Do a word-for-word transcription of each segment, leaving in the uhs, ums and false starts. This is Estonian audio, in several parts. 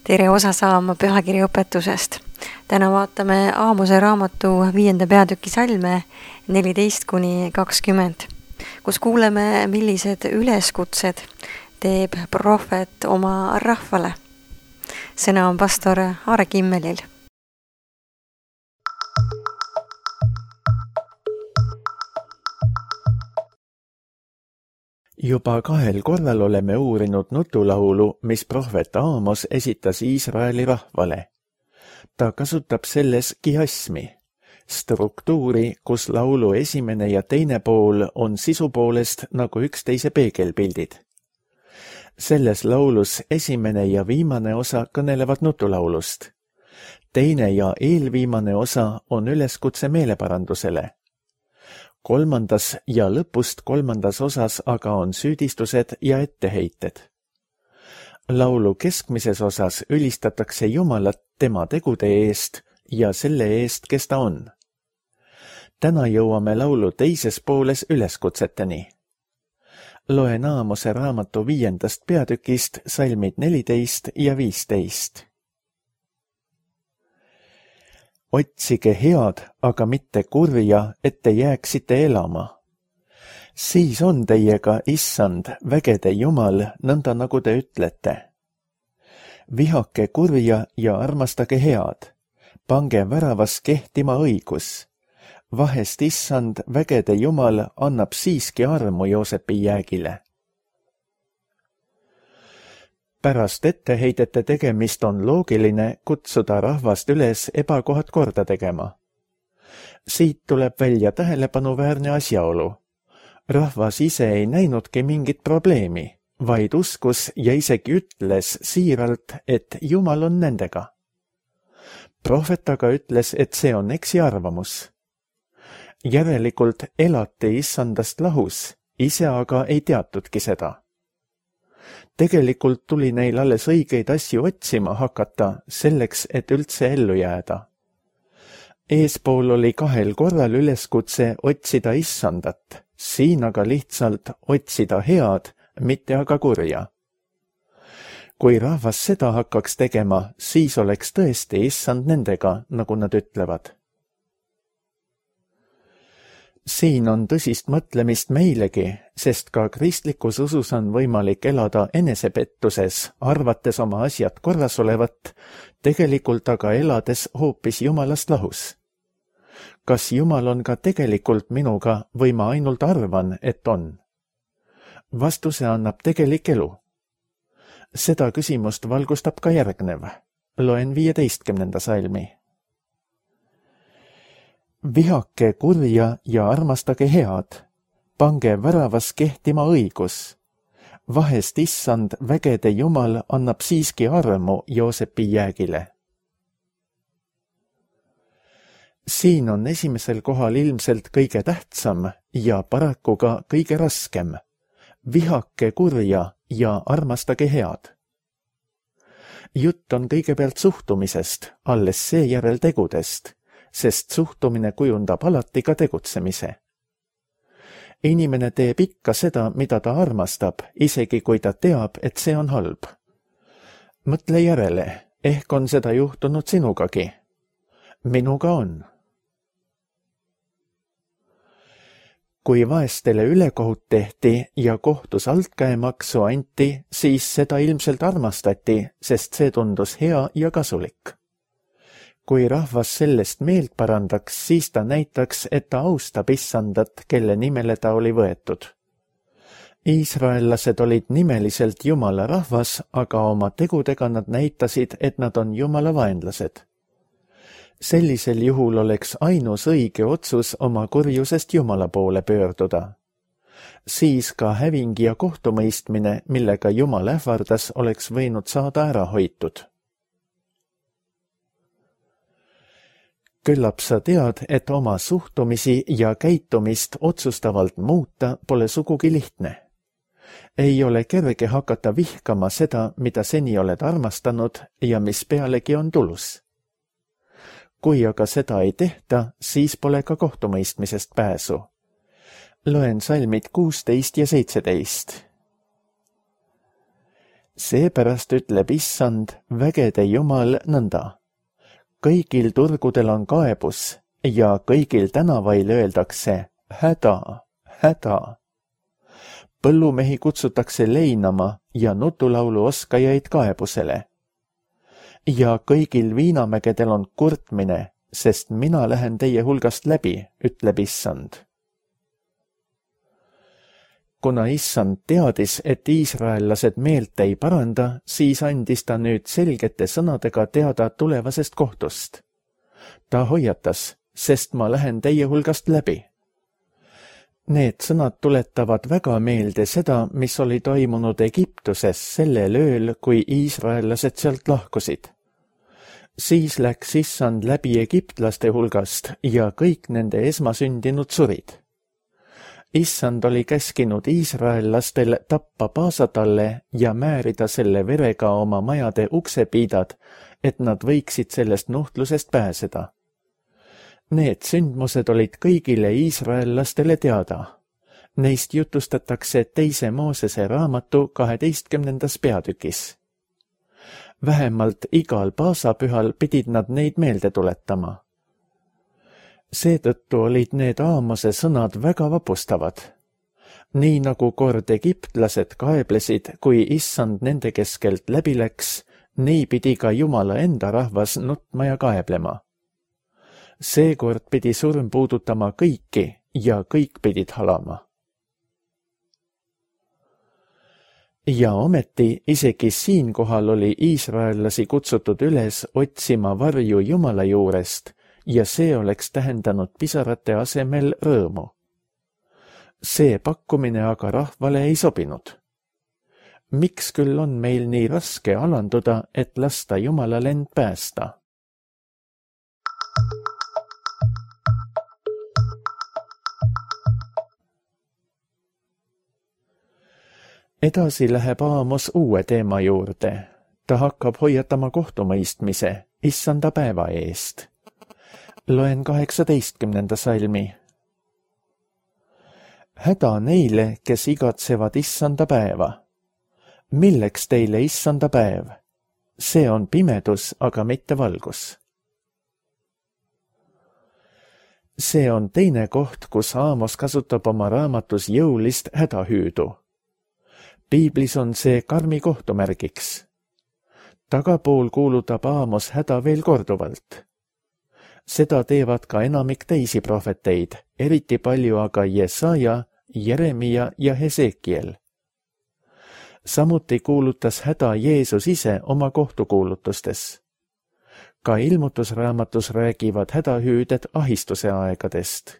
Tere osa saama pühakirjaõpetusest. Täna vaatame Aamose raamatu viienda peatüki salme neliteist kuni kakskümmend, kus kuuleme, millised üleskutsed teeb prohvet oma rahvale. Sõna on pastor Aare Kimmelil. Juba kahel korral oleme uurinud nutulaulu, mis prohvet Aamos esitas Iisraeli rahvale. Ta kasutab selles kiasmi, struktuuri, kus laulu esimene ja teine pool on sisu poolest nagu üksteise peegelpildid. Selles laulus esimene ja viimane osa kõnelevad nutulaulust. Teine ja eelviimane osa on üleskutse meeleparandusele. Kolmandas ja lõpust kolmandas osas aga on süüdistused ja etteheited. Laulu keskmises osas ülistatakse Jumalat tema tegude eest ja selle eest, kes ta on. Täna jõuame laulu teises pooles üleskutseteni. Loen Aamose raamatu viiendast peatükist salmid neliteist ja viisteist. Otsige head, aga mitte kurja, et te jääksite elama. Siis on teiega, issand, vägede Jumal, nõnda nagu te ütlete. Vihake kurja ja armastage head. Pange väravas kehtima õigus. Vahest issand, vägede Jumal, annab siiski armu Joosepi jäägile. Pärast etteheidete tegemist on loogiline kutsuda rahvast üles ebakohad korda tegema. Siit tuleb välja tähelepanuväärne asjaolu. Rahvas ise ei näinudki mingit probleemi, vaid uskus ja isegi ütles siiralt, et Jumal on nendega. Prohvet aga ütles, et see on eksiarvamus. Järelikult elati issandast lahus, ise aga ei teatudki seda. Tegelikult tuli neil alles õigeid asju otsima hakata selleks, et üldse ellu jääda. Eespool oli kahel korral üleskutse otsida issandat, siin aga lihtsalt otsida head, mitte aga kurja. Kui rahvas seda hakkaks tegema, siis oleks tõesti issand nendega, nagu nad ütlevad. Siin on tõsist mõtlemist meilegi, sest ka kristlikus usus on võimalik elada enesepettuses, arvates oma asjad korras olevat, tegelikult aga elades hoopis Jumalast lahus. Kas Jumal on ka tegelikult minuga või ma ainult arvan, et on? Vastuse annab tegelik elu. Seda küsimust valgustab ka järgnev. Loen viieteistkümnenda salmi. Vihake kurja ja armastage head. Pange väravas kehtima õigus. Vahest issand, vägede Jumal, annab siiski armu Joosepi jäägile. Siin on esimesel kohal ilmselt kõige tähtsam ja paraku ka kõige raskem. Vihake kurja ja armastage head. Jutt on kõigepealt suhtumisest, alles seejärel tegudest, sest suhtumine kujundab alati ka tegutsemise. Inimene teeb ikka seda, mida ta armastab, isegi kui ta teab, et see on halb. Mõtle järele, ehk on seda juhtunud sinugagi. Minuga on. Kui vaestele ülekohut tehti ja kohtus altkäemaksu anti, siis seda ilmselt armastati, sest see tundus hea ja kasulik. Kui rahvas sellest meelt parandaks, siis ta näitaks, et ta austab issandat, kelle nimele ta oli võetud. Iisraellased olid nimeliselt Jumala rahvas, aga oma tegudega nad näitasid, et nad on Jumala vaenlased. Sellisel juhul oleks ainus õige otsus oma kurjusest Jumala poole pöörduda. Siis ka häving ja kohtumõistmine, millega Jumal ähvardas, oleks võinud saada ära hoitud. Küllap sa tead, et oma suhtumisi ja käitumist otsustavalt muuta pole sugugi lihtne. Ei ole kerge hakata vihkama seda, mida seni oled armastanud ja mis pealegi on tulus. Kui aga seda ei tehta, siis pole ka kohtumõistmisest pääsu. Loen salmid kuusteist ja seitseteist. Seepärast ütleb issand, vägede Jumal nõnda. Kõigil turgudel on kaebus ja kõigil tänavail öeldakse häda, häda. Põllumehi kutsutakse leinama ja nutulaulu oskajaid kaebusele. Ja kõigil viinamägedel on kurtmine, sest mina lähen teie hulgast läbi, ütleb issand. Kuna issand teadis, et iisraellased meelt ei paranda, siis andis ta nüüd selgete sõnadega teada tulevasest kohtust. Ta hoiatas, sest ma lähen teie hulgast läbi. Need sõnad tuletavad väga meelde seda, mis oli toimunud Egiptuses sellel ööl, kui iisraellased sealt lahkusid. Siis läks issand läbi egiptlaste hulgast ja kõik nende esmasündinud surid. Issand oli käskinud iisraellastel tappa paasatalle ja määrida selle verega oma majade uksepiidad, et nad võiksid sellest nuhtlusest pääseda. Need sündmused olid kõigile iisraellastele teada. Neist jutustatakse teise Moosese raamatu kaheteistkümnendas peatükis. Vähemalt igal paasapühal pidid nad neid meelde tuletama. Seetõttu olid need Aamose sõnad väga vapustavad. Nii nagu kord egiptlased kaeblesid, kui issand nende keskelt läbi läks, nii pidi ka Jumala enda rahvas nutma ja kaeblema. Seekord pidi surm puudutama kõiki ja kõik pidid halama. Ja ometi isegi siinkohal oli iisraellasi kutsutud üles otsima varju Jumala juurest ja see oleks tähendanud pisarate asemel rõõmu. See pakkumine aga rahvale ei sobinud. Miks küll on meil nii raske alanduda, et lasta Jumalal end päästa? Edasi läheb Aamos uue teema juurde. Ta hakkab hoiatama kohtumõistmise, issanda päeva eest. Loen kaheksateistkümnenda salmi. Häda neile, kes igatsevad issanda päeva. Milleks teile issanda päev? See on pimedus, aga mitte valgus. See on teine koht, kus Aamos kasutab oma raamatus jõulist hädahüüdu. Piiblis on see karmi kohtumärgiks. Tagapool kuulutab Aamos häda veel korduvalt. Seda teevad ka enamik teisi prohveteid, eriti palju aga Jesaja, Jeremia ja Hesekiel. Samuti kuulutas häda Jeesus ise oma kohtukuulutustes. Ka ilmutusraamatus räägivad hädahüüded ahistuse aegadest.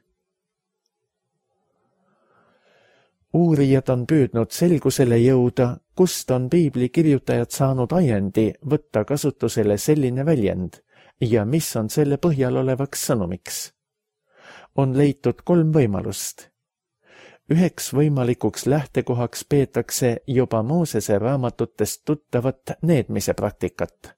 Uurijad on püüdnud selgusele jõuda, kust on piibli kirjutajad saanud ajendi võtta kasutusele selline väljend ja mis on selle põhjal olevaks sõnumiks. On leitud kolm võimalust. Üheks võimalikuks lähtekohaks peetakse juba Moosese raamatutest tuttavat needmise praktikat.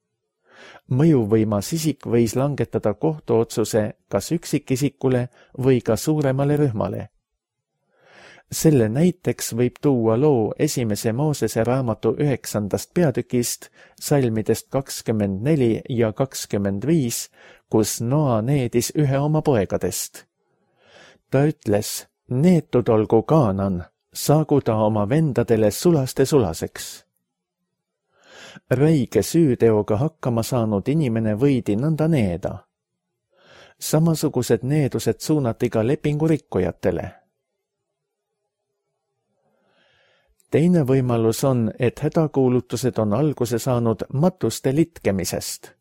Mõjuvõimas isik võis langetada kohtuotsuse kas üksikisikule või ka suuremale rühmale. Selle näiteks võib tuua loo esimese Moosese raamatu üheksandast peatükist, salmidest kakskümmend neli ja kakskümmend viis, kus Noa needis ühe oma poegadest. Ta ütles, neetud olgu Kaanan, saagu ta oma vendadele sulaste sulaseks. Räige süüteoga hakkama saanud inimene võidi nõnda needa. Samasugused needused suunati ka lepingurikkujatele. Teine võimalus on, et hädakuulutused on alguse saanud matuste litkemisest.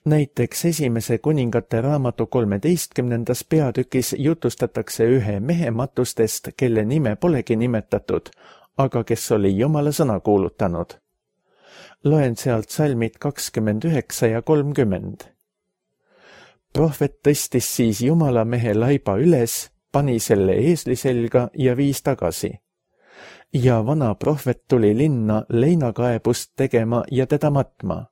Näiteks esimese kuningate raamatu kolmeteistkümnendas peatükis jutustatakse ühe mehe matustest, kelle nime polegi nimetatud, aga kes oli Jumala sõna kuulutanud. Loen sealt salmid kakskümmend üheksa ja kolmkümmend. Prohvet tõstis siis Jumala mehe laiba üles, pani selle eesli selga ja viis tagasi. Ja vana prohvet tuli linna leinakaebust tegema ja teda matma.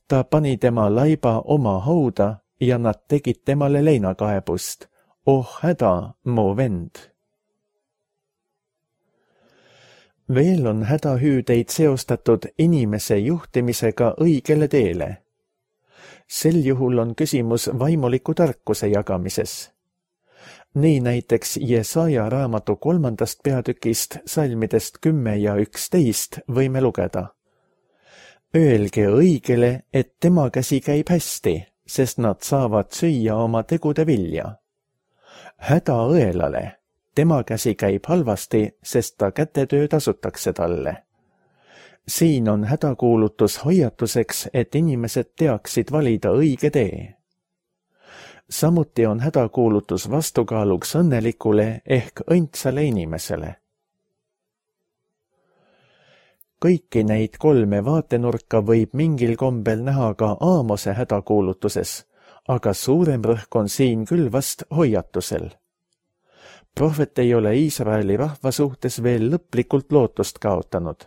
Ta pani tema laiba oma hauda ja nad tegid temale leinakaebust. Oh häda, mu vend! Veel on hädahüüdeid seostatud inimese juhtimisega õigele teele. Sel juhul on küsimus vaimuliku tarkuse jagamises. Nii näiteks Jesaja raamatu kolmandast peatükist salmidest kümme ja üksteist võime lugeda. Öelge õigele, et tema käsi käib hästi, sest nad saavad süüa oma tegude vilja. Häda õelale, tema käsi käib halvasti, sest ta kätetöö tasutakse talle. Siin on hädakuulutus hoiatuseks, et inimesed teaksid valida õige tee. Samuti on hädakuulutus vastukaaluks õnnelikule ehk õndsale inimesele. Kõiki neid kolme vaatenurka võib mingil kombel näha ka Aamose hädakuulutuses, aga suurem rõhk on siin küll vast hoiatusel. Prohvet ei ole Iisraeli rahva suhtes veel lõplikult lootust kaotanud.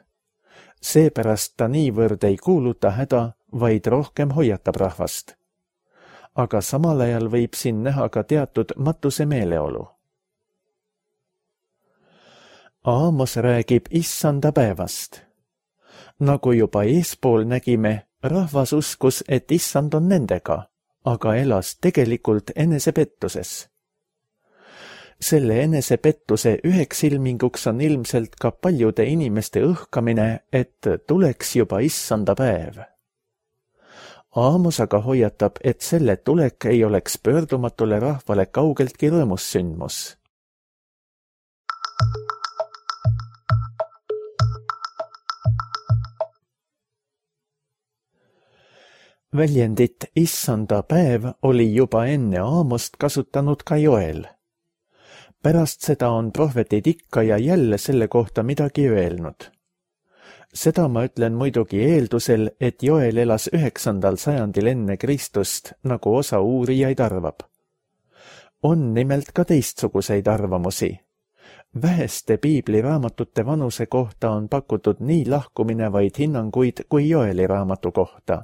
Seepärast ta niivõrd ei kuuluta häda, vaid rohkem hoiatab rahvast. Aga samal ajal võib siin näha ka teatud matuse meeleolu. Aamos räägib issanda päevast. Nagu juba eespool nägime, rahvas uskus, et issand on nendega, aga elas tegelikult enesepettuses. Selle enesepettuse üheks ilminguks on ilmselt ka paljude inimeste õhkamine, et tuleks juba issanda päev. Aamos aga hoiatab, et selle tulek ei oleks pöördumatule rahvale kaugeltki rõõmus sündmus. Väljendit issanda päev oli juba enne Aamost kasutanud ka Joel. Pärast seda on prohvetid ikka ja jälle selle kohta midagi öelnud. Seda ma ütlen muidugi eeldusel, et Joel elas üheksandal sajandil enne Kristust, nagu osa uurijaid arvab. On nimelt ka teistsuguseid arvamusi. Väheste piibliraamatute vanuse kohta on pakutud nii lahkuminevaid hinnanguid kui Joeli raamatu kohta.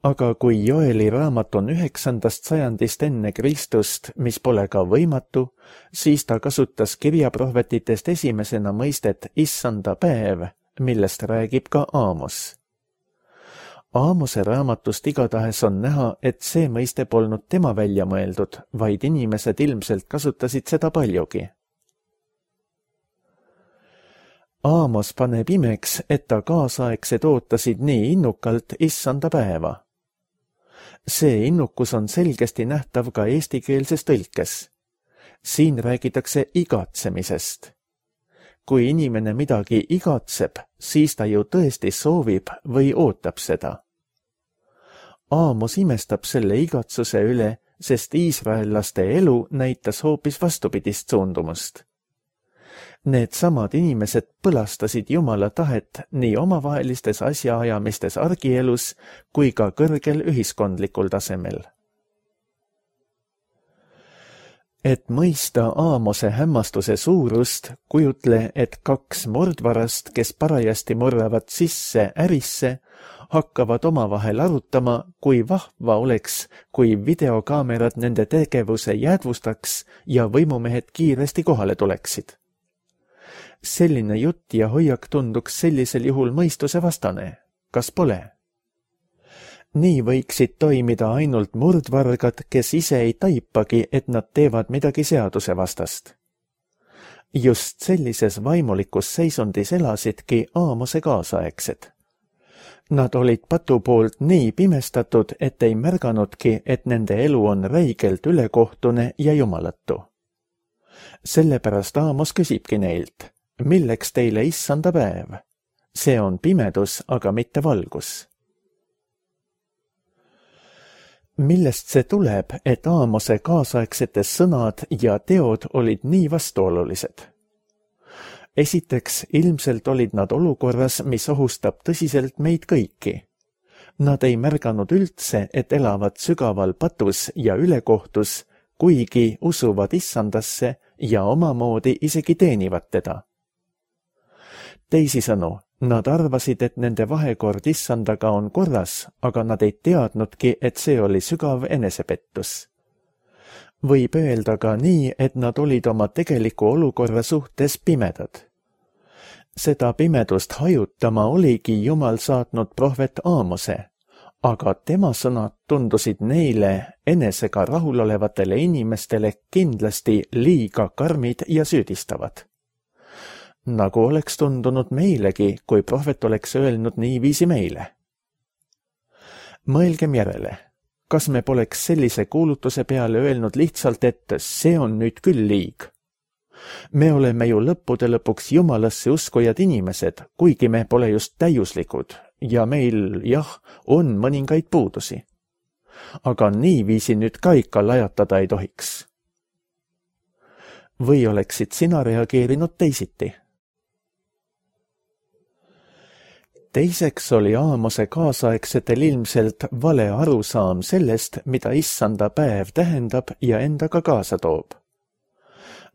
Aga kui Joeli raamat on üheksandast sajandist enne Kristust, mis pole ka võimatu, siis ta kasutas kirjaprohvetitest esimesena mõistet issanda päev, millest räägib ka Aamos. Aamose raamatust igatahes on näha, et see mõiste polnud tema välja mõeldud, vaid inimesed ilmselt kasutasid seda paljugi. Aamos paneb imeks, et ta kaasaegsed ootasid nii innukalt issanda päeva. See innukus on selgesti nähtav ka eestikeelses tõlkes. Siin räägitakse igatsemisest. Kui inimene midagi igatseb, siis ta ju tõesti soovib või ootab seda. Aamos imestab selle igatsuse üle, sest iisraellaste elu näitas hoopis vastupidist suundumust. Need samad inimesed põlastasid Jumala tahet nii omavahelistes asjaajamistes argielus kui ka kõrgel ühiskondlikul tasemel. Et mõista Aamose hämmastuse suurust, kujutle, et kaks mordvarast, kes parajasti murravad sisse ärisse, hakkavad omavahel arutama, kui vahva oleks, kui videokaamerad nende tegevuse jäädvustaks ja võimumehed kiiresti kohale tuleksid. Selline jutt ja hoiak tunduks sellisel juhul mõistuse vastane. Kas pole? Nii võiksid toimida ainult murdvargad, kes ise ei taipagi, et nad teevad midagi seaduse vastast. Just sellises vaimulikus seisundis elasidki Aamose kaasaegsed. Nad olid patu poolt nii pimestatud, et ei märganudki, et nende elu on räigelt ülekohtune ja jumalatu. Sellepärast Aamos küsibki neilt, milleks teile issanda päev? See on pimedus, aga mitte valgus. Millest see tuleb, et Aamose kaasaegsetes sõnad ja teod olid nii vastuolulised? Esiteks, ilmselt olid nad olukorras, mis ohustab tõsiselt meid kõiki. Nad ei märganud üldse, et elavad sügaval patus ja ülekohtus, kuigi usuvad issandasse ja omamoodi isegi teenivad teda. Teisisõnu, nad arvasid, et nende vahekord issandaga on korras, aga nad ei teadnudki, et see oli sügav enesepettus. Võib öelda ka nii, et nad olid oma tegeliku olukorra suhtes pimedad. Seda pimedust hajutama oligi Jumal saatnud prohvet Aamose, aga tema sõnad tundusid neile enesega rahulolevatele inimestele kindlasti liiga karmid ja süüdistavad. Nagu oleks tundunud meilegi, kui prohvet oleks öelnud niiviisi meile. Mõelgem järele, kas me poleks sellise kuulutuse peale öelnud lihtsalt, et see on nüüd küll liig. Me oleme ju lõppude lõpuks Jumalasse uskujad inimesed, kuigi me pole just täiuslikud ja meil, jah, on mõningaid puudusi. Aga niiviisi nüüd ka ikka lajatada ei tohiks. Või oleksid sina reageerinud teisiti? Teiseks oli Aamose kaasaegsetel ilmselt vale arusaam sellest, mida issanda päev tähendab ja endaga kaasa toob.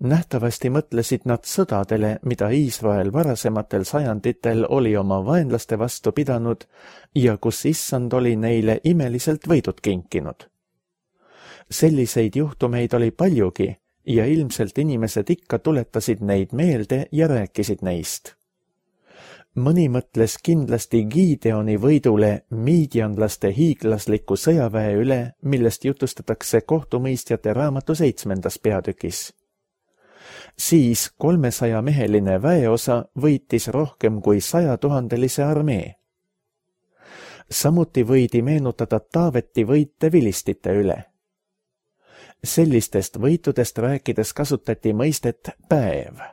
Nähtavasti mõtlesid nad sõdadele, mida Iisrael varasematel sajanditel oli oma vaenlaste vastu pidanud ja kus issand oli neile imeliselt võidud kinkinud. Selliseid juhtumeid oli paljugi ja ilmselt inimesed ikka tuletasid neid meelde ja rääkisid neist. Mõni mõtles kindlasti Gideoni võidule miidianlaste hiiglasliku sõjaväe üle, millest jutustatakse kohtumõistjate raamatu seitsmendas peatükis. Siis kolmesaja meheline väeosa võitis rohkem kui sajatuhandelise armee. Samuti võidi meenutada Taaveti võite vilistite üle. Sellistest võitudest rääkides kasutati mõistet päev.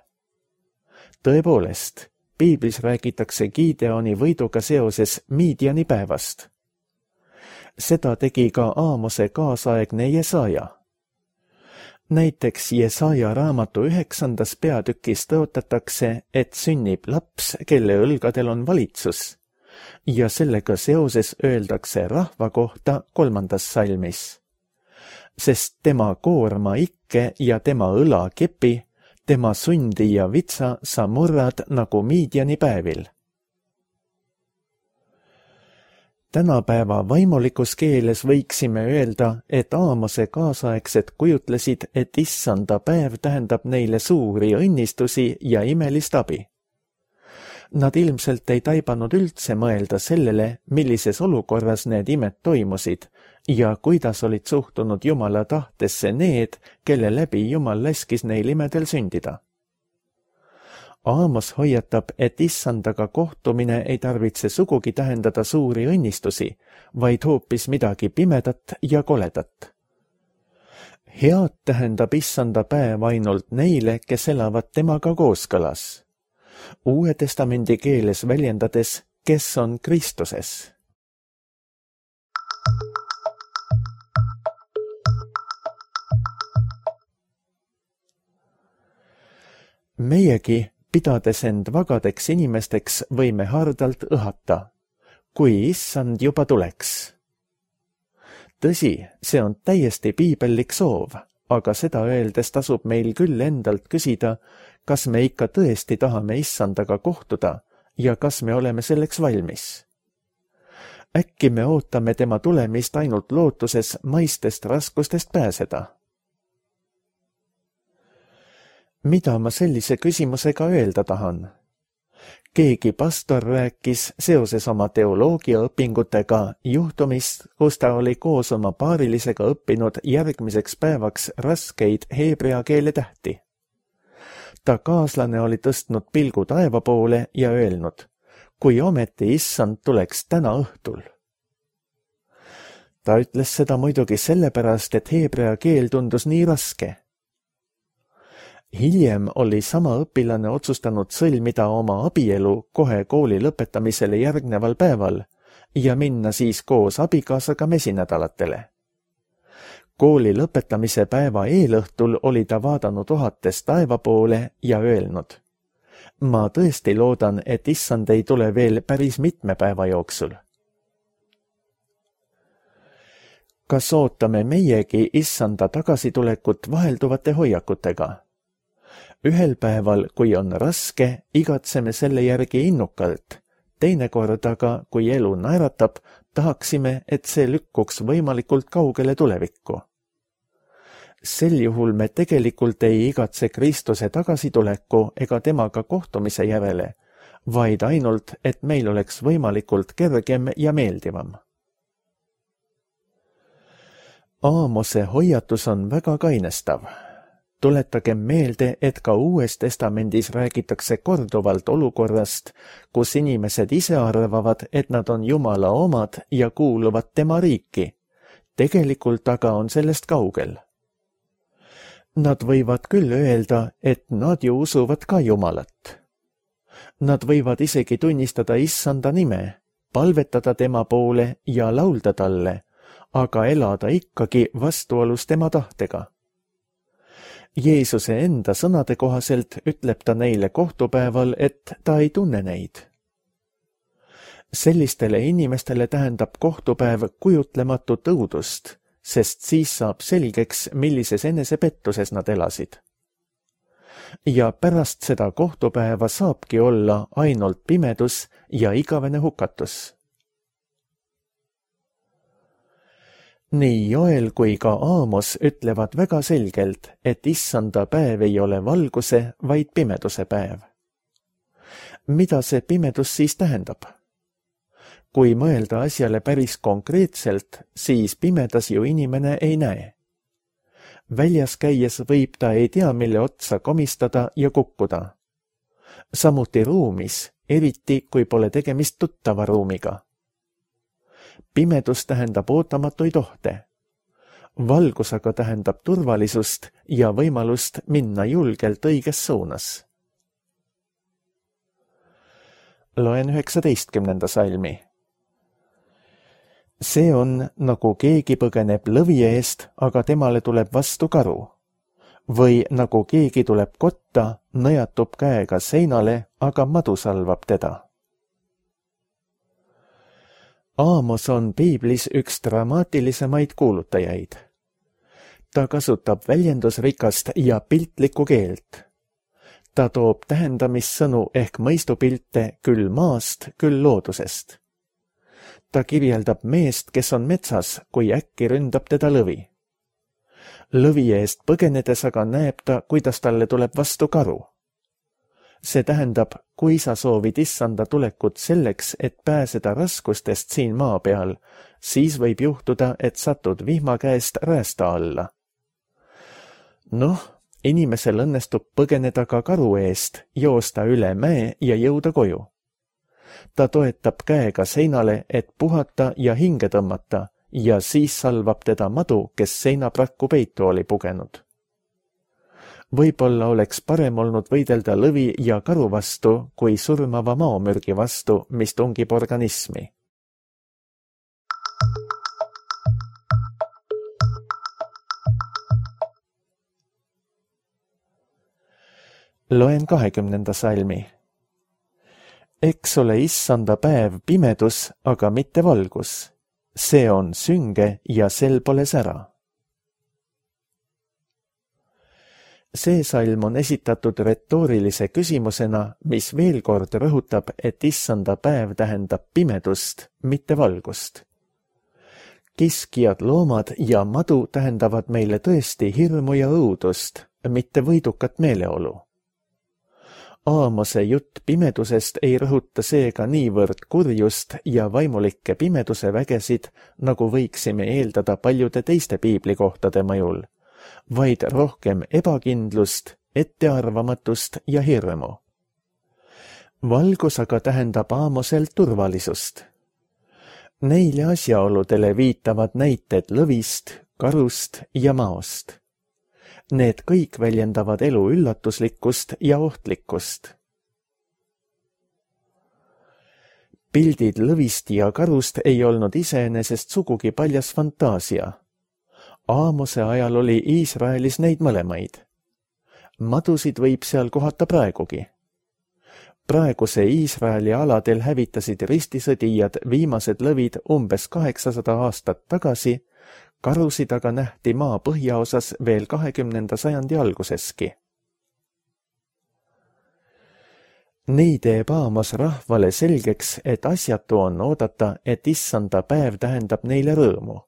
Tõepoolest, Piiblis räägitakse Gideoni võiduga seoses Midiani päevast. Seda tegi ka Aamose kaasaegne Jesaja. Näiteks Jesaja raamatu üheksandas peatükis tõotatakse, et sünnib laps, kelle õlgadel on valitsus, ja sellega seoses öeldakse rahva kohta kolmandas salmis. Sest tema koorma ikke ja tema õla kepi, tema sundi ja vitsa sa murrad nagu Midiani päevil. Tänapäeva vaimulikus keeles võiksime öelda, et Aamose kaasaegsed kujutlesid, et issanda päev tähendab neile suuri õnnistusi ja imelist abi. Nad ilmselt ei taibanud üldse mõelda sellele, millises olukorras need imed toimusid ja kuidas olid suhtunud Jumala tahtesse need, kelle läbi Jumal laskis neil imedel sündida. Aamos hoiatab, et issandaga kohtumine ei tarvitse sugugi tähendada suuri õnnistusi, vaid hoopis midagi pimedat ja koledat. Head tähendab issanda päev ainult neile, kes elavad temaga kooskõlas. Uue testamendi keeles väljendades, kes on Kristuses. Meiegi, pidades end vagadeks inimesteks, võime hardalt õhata, kui issand juba tuleks. Tõsi, see on täiesti piibellik soov, aga seda öeldes tasub meil küll endalt küsida, kas me ikka tõesti tahame issandaga kohtuda ja kas me oleme selleks valmis. Äkki me ootame tema tulemist ainult lootuses maistest raskustest pääseda? Mida ma sellise küsimusega öelda tahan? Keegi pastor rääkis seoses oma teoloogiaõpingutega juhtumist, kus ta oli koos oma paarilisega õppinud järgmiseks päevaks raskeid heebrea keele tähti. Ta kaaslane oli tõstnud pilgu taeva poole ja öelnud, kui ometi issand tuleks täna õhtul. Ta ütles seda muidugi sellepärast, et heebrea keel tundus nii raske. Hiljem oli sama õpilane otsustanud sõlmida oma abielu kohe kooli lõpetamisele järgneval päeval ja minna siis koos abikaasaga mesinädalatele. Kooli lõpetamise päeva eelõhtul oli ta vaadanud ohates taeva poole ja öelnud, ma tõesti loodan, et issand ei tule veel päris mitme päeva jooksul. Kas ootame meiegi issanda tagasitulekut vahelduvate hoiakutega? Ühel päeval, kui on raske, igatseme selle järgi innukalt. Teinekord aga, kui elu naeratab, tahaksime, et see lükkuks võimalikult kaugele tulevikku. Sel juhul me tegelikult ei igatse Kristuse tagasituleku ega temaga kohtumise järele, vaid ainult, et meil oleks võimalikult kergem ja meeldivam. Aamose hoiatus on väga kainestav. Tuletagem meelde, et ka Uues Testamendis räägitakse korduvalt olukorrast, kus inimesed ise arvavad, et nad on Jumala omad ja kuuluvad tema riiki. Tegelikult aga on sellest kaugel. Nad võivad küll öelda, et nad ju usuvad ka Jumalat. Nad võivad isegi tunnistada Issanda nime, palvetada tema poole ja laulda talle, aga elada ikkagi vastuolus tema tahtega. Jeesuse enda sõnade kohaselt ütleb ta neile kohtupäeval, et ta ei tunne neid. Sellistele inimestele tähendab kohtupäev kujutlematut õudust, sest siis saab selgeks, millises enesepettuses nad elasid. Ja pärast seda kohtupäeva saabki olla ainult pimedus ja igavene hukatus. Nii Joel kui ka Aamos ütlevad väga selgelt, et Issanda päev ei ole valguse, vaid pimeduse päev. Mida see pimedus siis tähendab? Kui mõelda asjale päris konkreetselt, siis pimedas ju inimene ei näe. Väljas käies võib ta ei tea, mille otsa komistada ja kukkuda. Samuti ruumis, eriti kui pole tegemist tuttava ruumiga. Pimedus tähendab ootamatuid ohte. Valgus aga tähendab turvalisust ja võimalust minna julgelt õiges suunas. Loen üheksateistkümnenda salmi. See on, nagu keegi põgeneb lõvi eest, aga temale tuleb vastu karu. Või nagu keegi tuleb kotta, nõjatub käega seinale, aga madu salvab teda. Aamos on piiblis üks dramaatilisemaid kuulutajaid. Ta kasutab väljendusrikast ja piltlikku keelt. Ta toob tähendamissõnu ehk mõistupilte küll maast, küll loodusest. Ta kirjeldab meest, kes on metsas, kui äkki ründab teda lõvi. Lõvi eest põgenedes aga näeb ta, kuidas talle tuleb vastu karu. See tähendab, kui sa soovid Issanda tulekut selleks, et pääseda raskustest siin maa peal, siis võib juhtuda, et satud vihma käest räästa alla. Noh, inimesel õnnestub põgeneda ka karu eest, joosta üle mäe ja jõuda koju. Ta toetab käega seinale, et puhata ja hinge tõmmata, ja siis salvab teda madu, kes seinaprakku peitu oli pugenud. Võib-olla oleks parem olnud võidelda lõvi ja karu vastu, kui surmava maomürgi vastu, mis tungib organismi. Loen kahekümnenda salmi. Eks ole Issanda päev pimedus, aga mitte valgus. See on sünge ja sel pole sära. See salm on esitatud retoorilise küsimusena, mis veel kord rõhutab, et Issanda päev tähendab pimedust, mitte valgust. Kiskjad, loomad ja madu tähendavad meile tõesti hirmu ja õudust, mitte võidukat meeleolu. Aamose jutt pimedusest ei rõhuta seega niivõrd kurjust ja vaimulikke pimeduse vägesid, nagu võiksime eeldada paljude teiste piiblikohtade mõjul, vaid rohkem ebakindlust, ettearvamatust ja hirmu. Valgus aga tähendab Aamosel turvalisust. Neile asjaoludele viitavad näited lõvist, karust ja maost. Need kõik väljendavad elu üllatuslikkust ja ohtlikkust. Pildid lõvist ja karust ei olnud iseenesest sugugi paljas fantaasia. Aamose ajal oli Iisraelis neid mõlemaid. Madusid võib seal kohata praegugi. Praeguse Iisraeli aladel hävitasid ristisõdijad viimased lõvid umbes kaheksasada aastat tagasi, karusid aga nähti maa põhjaosas veel kahekümnenda sajandi alguseski. Nii teeb Aamos rahvale selgeks, et asjatu on oodata, et Issanda päev tähendab neile rõõmu.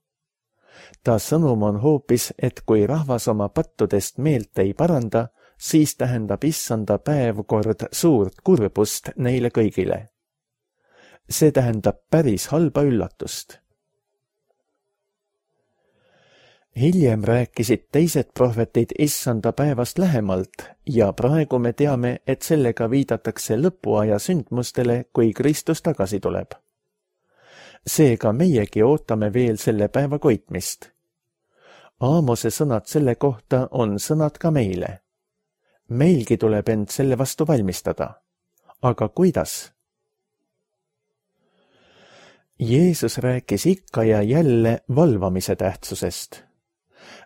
Ta sõnum on hoopis, et kui rahvas oma pattudest meelt ei paranda, siis tähendab issanda päev kord suurt kurbust neile kõigile. See tähendab päris halba üllatust. Hiljem rääkisid teised prohvetid issanda päevast lähemalt ja praegu me teame, et sellega viidatakse lõpuaja sündmustele, kui Kristus tagasi tuleb. Seega meiegi ootame veel selle päeva koitmist. Aamose sõnad selle kohta on sõnad ka meile. Meilgi tuleb end selle vastu valmistada. Aga kuidas? Jeesus rääkis ikka ja jälle valvamise tähtsusest.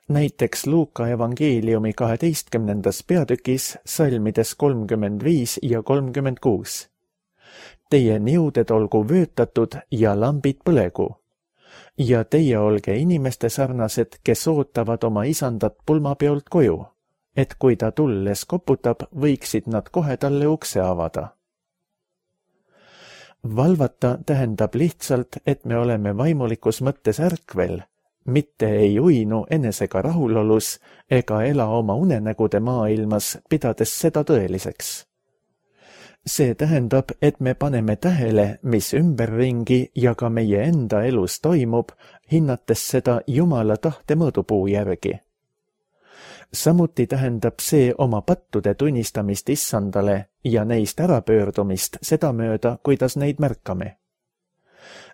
Näiteks Luuka evangeeliumi kaheteistkümnendas peatükis salmides kolmkümmend viis ja kolmkümmend kuus. Teie niuded olgu vöötatud ja lambid põlegu. Ja teie olge inimeste sarnased, kes ootavad oma isandat pulmapeolt koju, et kui ta tulles koputab, võiksid nad kohe talle ukse avada. Valvata tähendab lihtsalt, et me oleme vaimulikus mõttes ärkvel, mitte ei uinu enesega rahulolus ega ela oma unenägude maailmas, pidades seda tõeliseks. See tähendab, et me paneme tähele, mis ümberringi ja ka meie enda elus toimub, hinnates seda Jumala tahte mõõdupuu järgi. Samuti tähendab see oma pattude tunnistamist issandale ja neist ärapöördumist sedamööda, kuidas neid märkame.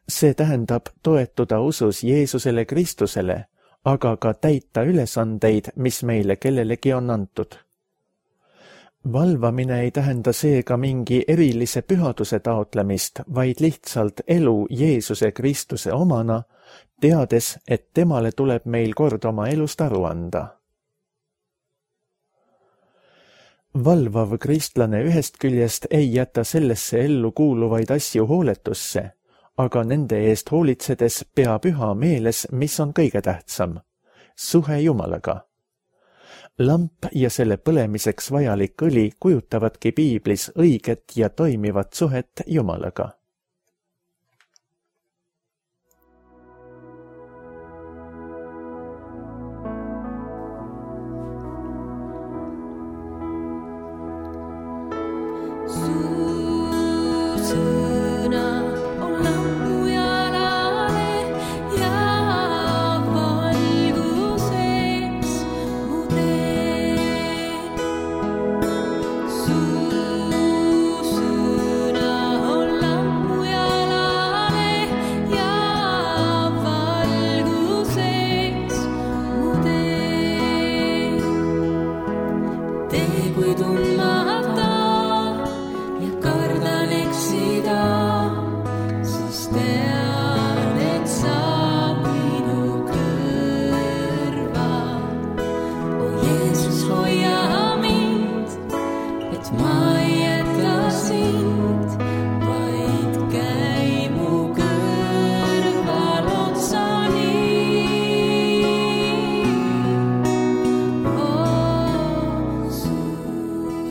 See tähendab toetuda usus Jeesusele Kristusele, aga ka täita ülesandeid, mis meile kellelegi on antud. Valvamine ei tähenda seega mingi erilise pühaduse taotlemist, vaid lihtsalt elu Jeesuse Kristuse omana, teades, et temale tuleb meil kord oma elust aru anda. Valvav kristlane ühest küljest ei jäta sellesse ellu kuuluvaid asju hooletusse, aga nende eest hoolitsedes peab üha meeles, mis on kõige tähtsam, suhe Jumalaga. Lamp ja selle põlemiseks vajalik õli kujutavadki piiblis õiget ja toimivat suhet Jumalaga.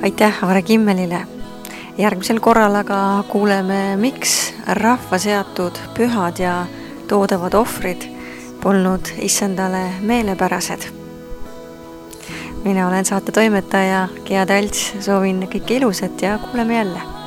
Aitäh Aare Kimmelile. Järgmisel korral aga kuuleme, miks rahva seatud pühad ja toodavad ohvrid polnud issandale meelepärased. Mina olen saate toimetaja Gea Talts, soovin kõike ilusat ja kuuleme jälle.